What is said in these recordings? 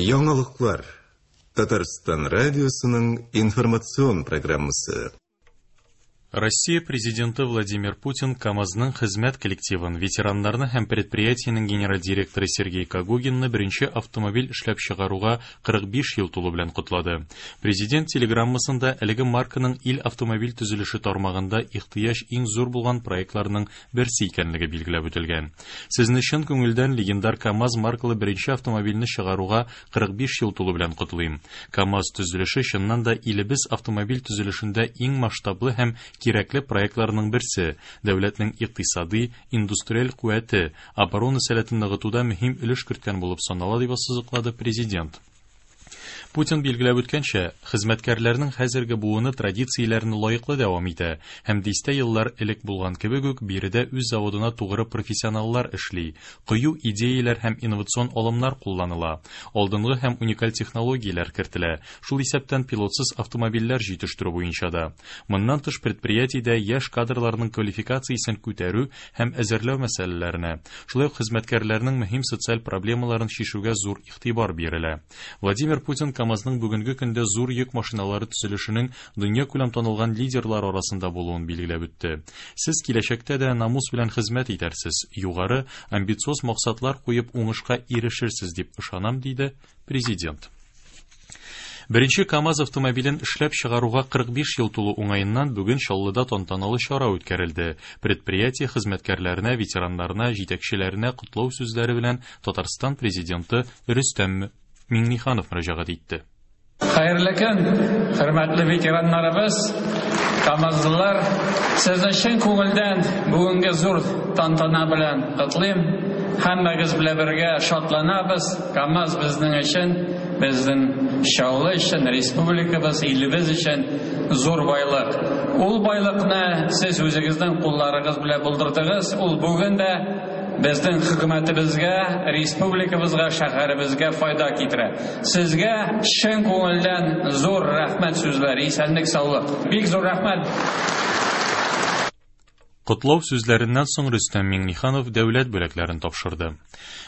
Яңалыклар. Татарстан радиосының информацион программасы. Россия Президенты Владимир Путин КАМАЗның хезмәт коллективын, ветераннарны һәм предприятиенең генераль директоры Сергей Когогинны беренче автомобиль эшләп чыгаруга 45 ел тулу белән котлады. Президент телеграммасында әлеге марканың ил автомобиль төзелеше тармагында ихтыяҗ иң зур булган проектларның берсе икәнлеге билгеләп үтелгән. Сезне чын күңелдән легендар КАМАЗ маркалы беренче автомобильне чыгаруга 45 ел тулу белән котлыйм. КАМАЗ төзелеше чыннан да илебез автомобиль төзелешендә иң масштаблы һәм кирәкле проектларның берсе, дәүләтнең икътисади, индустриаль куәте, оборона сәләтен ныгытуда мөһим өлеш керткән булып санала, дип ассызыклады президент. Путин билгеләп үткәнчә, хезмәткәрләрнең хәзерге буыны традицияләрне лаеклы дәвам итә һәм дистә еллар элек булган кебек үк биредә үз заводына тугры профессионаллар эшли, кыю идеяләр һәм инновацион алымнар кулланыла, алдынгы һәм уникаль технологияләр кертелә, шул исәптән пилотсыз автомобильләр җитештерү буенча да. Моннан тыш предприятиедә яшь кадрларның квалификациясен күтәрү һәм әзерләү мәсьәләләренә, шулай ук хезмәткәрләрнең мөһим социаль проблемаларын чишүгә зур игътибар бирелә. Владимир Путин КАМАЗның бүгенге көндә зур йөк машиналары төзелешенең дөньякүләм танылган лидерлар арасында булуын билгеләп үтте. Сез киләчәктә дә намус белән хезмәт итәрсез, югары, амбициоз максатлар куеп уңышка ирешерсез дип ышанам, диде президент. Беренче КАМАЗ автомобилен эшләп чыгаруга 45 ел тулу уңаеннан бүген Чаллыда тантаналы чара үткәрелде. Предприятие хезмәткәрләренә, ветераннарына, җитәкчеләренә котлау сүзләре белән Татарстан президенты Рөстәм Миңнеханов мөрәҗәгать итте. Хәерле көн, хөрмәтле ветераннарыбыз, камазлылар. Сезне чын күңелдән бүгенге зур тантана белән котлыйм. Һәммәгез белән бергә шатланабыз. КАМАЗ безнең өчен, безнең Чаллы өчен, республикабыз, илебез өчен зур байлык. Ул байлыкны сез үзегезнең кулларыгыз белән булдырдыгыз. Ул бүген дә безнең хөкүмәтебезгә, республикабызга, шәһәребезгә файда китерә. Сезгә чын күңелдән зур рәхмәт сүзләре, исәнлек, саулык. Бик зур рәхмәт. Котлау сүзләреннән соң Рөстәм Миңнеханов дәүләт бүләкләрен тапшырды.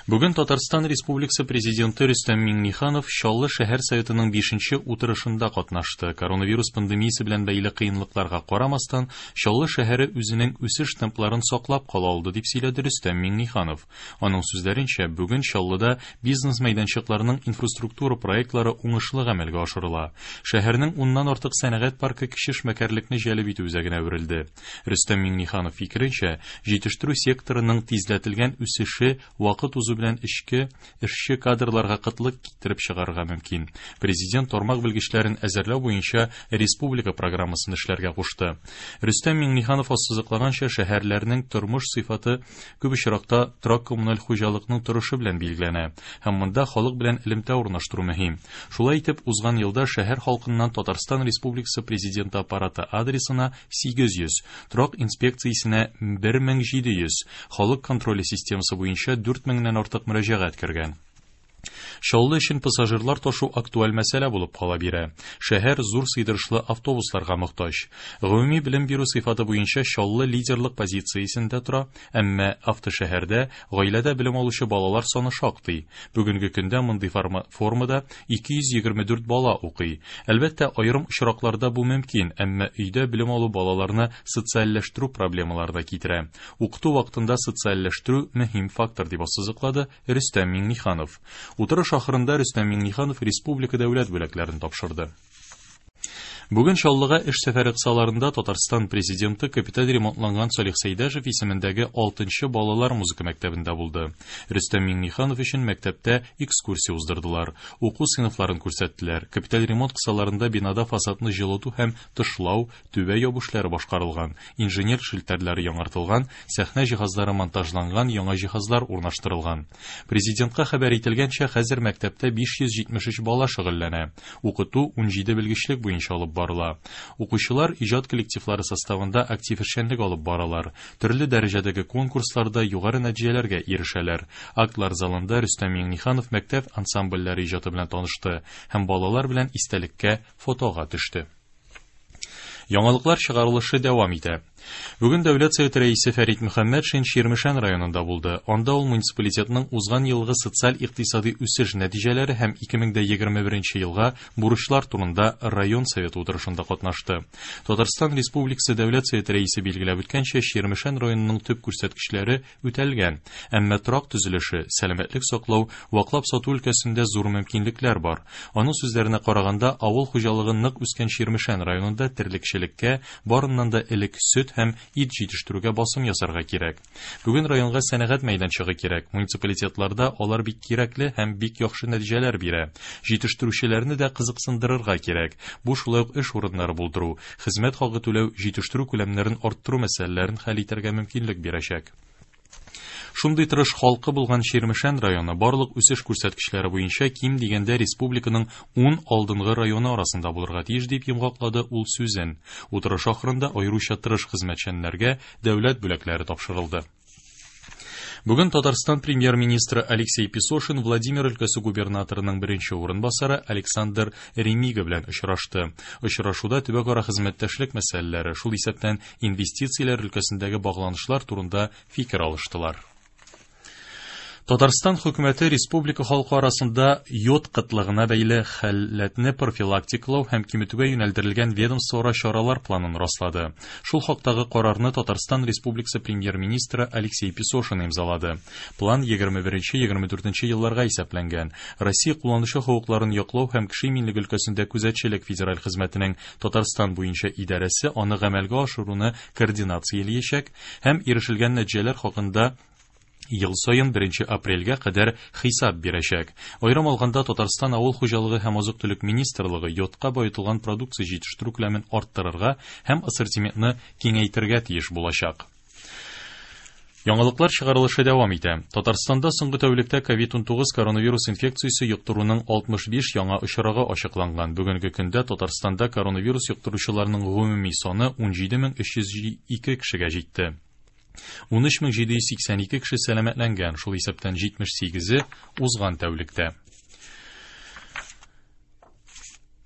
Бүген Татарстан Республикасы Президенты Рөстәм Миңнеханов Чаллы шәһәр советының 5 утырышында катнашты. Коронавирус пандемиясе белән бәйле кыенлыкларга карамастан, Чаллы шәһәре үзенең үсеш темпларын саклап кала алды, дип сөйләде Рөстәм Миңнеханов. Аның сүзләренчә, бүген Чаллыда бизнес мәйданчыкларының инфраструктура проектлары уңышлы гамәлгә ашырыла. Шәһәрнең уннан артык сәнәгать паркы кече эшмәкәрлекне җәлеп итү үзәгенә әверелде. Рөстәм Миңнеханов фикеренчә, җитештерү секторының тизләтелгән үсеше вакыт узу белән эчке эшче кадрларга кытлык китереп чыгарырга мөмкин. Президент тармак белгечләрен әзерләү буенча республика программасын эшләргә кушты. Рөстәм Миңнеханов ассызыклаганча, шәһәрләрнең тормыш сыйфаты күп очракта торак-коммуналь хуҗалыкның торышы белән билгеләнә һәм монда халык белән элемтә урнаштыру мөһим. Шулай итеп, узган елда шәһәр халкыннан Татарстан Республикасы Президенты аппараты адресына 800, торак инспекциясенә 1700, халык контроле системасы буенча 4000 нән артык мөрәҗәгать кергән. Чаллы өчен пассажирлар ташу актуаль мәсьәлә булып кала бирә. Шәһәр зур сыйдырышлы автобусларга мохтаҗ. Гомуми белем бирү сыйфаты буенча Чаллы лидерлык позициясендә тора, әмма автошәһәрдә гаиләдә белем алучы балалар саны шактый. Бүгенге көндә мондый формада 224 бала укый. Әлбәттә, аерым очракларда бу мөмкин, әмма өйдә белем алу балаларны социальләштерү проблемаларына китерә. Укыту вакытында социальләштерү мөһим фактор, дип ассызыклады Рөстәм Миңнеханов. Утырыш ахырында Рөстәм Миңнеханов республика дәүләт бүләкләрен тапшырды. Бүген Чаллыга эш сәфәре кысаларында Татарстан президенты капиталь ремонтланган Салих Сәйдәшев исемендәге 6 балалар музыка мәктәбендә булды. Рөстәм Миңнеханов өчен мәктәптә экскурсия уздырдылар, уку сыйныфларын күрсәттеләр. Капиталь ремонт кысаларында бинада фасадны җылыту һәм тышлау, түбә ябу эшләре башкарылган, инженер челтәрләре яңартылган, сәхнә җиһазлары монтажланган, яңа җиһазлар урнаштырылган. Президентка хәбәр ителгәнчә, хәзер мәктәптә 573 бала шөгыльләнә. Укыту 17 белгечлек буенча алып барыла. Укучылар иҗат коллективлары составында актив эшчәнлек алып баралар. Төрле дәрәҗәдәге конкурсларда югары нәтиҗәләргә ирешәләр. Актлар залында Рөстәм Миңнеханов мәктәп ансамбльләре иҗаты белән танышты һәм балалар белән истәлеккә фотога төште. Яңалыклар чыгарылышы дәвам итә. Бүген Дәүләт Советы Рәисе Фәрит Мөхәммәтшин Чирмешән районында булды. Анда ул муниципалитетның узган елгы социаль-икътисади үсеш нәтиҗәләре һәм 2021 елга бурычлар турында район советы утырышында катнашты. Татарстан Республикасы Дәүләт Советы Рәисе билгеләп үткәнчә, Чирмешән районының төп күрсәткечләре үтәлгән. Әмма торак төзелеше, сәламәтлек саклау, ваклап сату өлкәсендә зур мөмкинлекләр бар. Аның сүзләренә караганда, авыл хуҗалыгы нык үскән Чирмешән районында терлекчелеккә, барыннан да элек сөт һәм ит җитештерүгә басым ясарга кирәк. Бүген районга сәнәгать мәйданчыгы кирәк. Муниципалитетларда алар бик кирәкле һәм бик яхшы нәтиҗәләр бирә. Җитештерүчеләрне дә кызыксындырырга кирәк. Бу шулай ук эш урыннары булдыру, хезмәт хакы түләү, җитештерү күләмнәрен арттыру мәсьәләләрен хәл итәргә мөмкинлек бирәчәк. Шундый тырыш халкы булган Чирмешән районы барлык үсеш күрсәткечләре буенча ким дигәндә республиканың 10 алдынгы районы арасында булырга тиеш, дип йомгаклады ул сүзен. Утырыш ахырында аеруча тырыш хезмәтчәннәргә дәүләт бүләкләре тапшырылды. Бүген Татарстан премьер-министры Алексей Песошин Владимир өлкәсе губернаторының беренче урынбасары Александр Ремига белән очрашты. Очрашуда төбәкара хезмәттәшлек мәсьәләләре, шул исәптән инвестицияләр өлкәсендәге багланышлар турында фикер алыштылар. Татарстан хөкүмәте республика халкы арасында йод кытлыгына бәйле халәтне профилактикалау һәм киметүгә юнәлдерелгән ведомствоара чаралар планын раслады. Шул хактагы карарны Татарстан Республикасы премьер-министры Алексей Песошин имзалады. План 21-24 елларга исәпләнгән. Россия кулланучы хокукларын яклау һәм кеше иминлеге өлкәсендә күзәтчелек федераль хезмәтенең Татарстан буенча идарәсе аны гамәлгә ашыруны координацияләячәк һәм ирешелгән нәтиҗәләр хакында ел саен 1 апрельгә кадәр хисап бирәчәк. Аерым алганда, Татарстан Авыл хуҗалыгы һәм азык-төлек министрлыгы йодка баетылган продукция җитештерү күләмен арттырырга һәм ассортиментны киңәйтергә тиеш булачак. Яңалыклар чыгарылышы дәвам итә. Татарстанда соңгы тәүлектә COVID-19 коронавирус инфекциясе йоктыруның 65 яңа очрагы ачыкланган. Бүгенге көндә Татарстанда коронавирус йоктыручыларның гомуми саны 17302 кешегә җитте. 13782 кеше сәламәтләнгән, шул исәптән 78-е узган тәүлектә.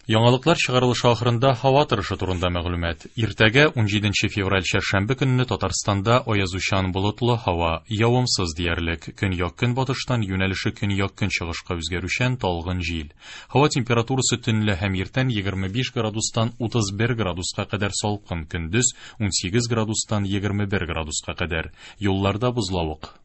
Яңалыклар чыгарылышы ахырында һава торышы турында мәгълүмат. Иртәгә 17 февраль чәршәмбе көнне Татарстанда аязучан болытлы һава, явымсыз диярлек. Көньяк-көнбатыштан юнәлеше көньяк-көнчыгышка үзгәрүчән талгын җил. Һава температурасы төнлә һәм иртән 25 градустан 31 градуска кадәр салкын, көндез 18 градустан 21 градуска кадәр. Юлларда бозлавык.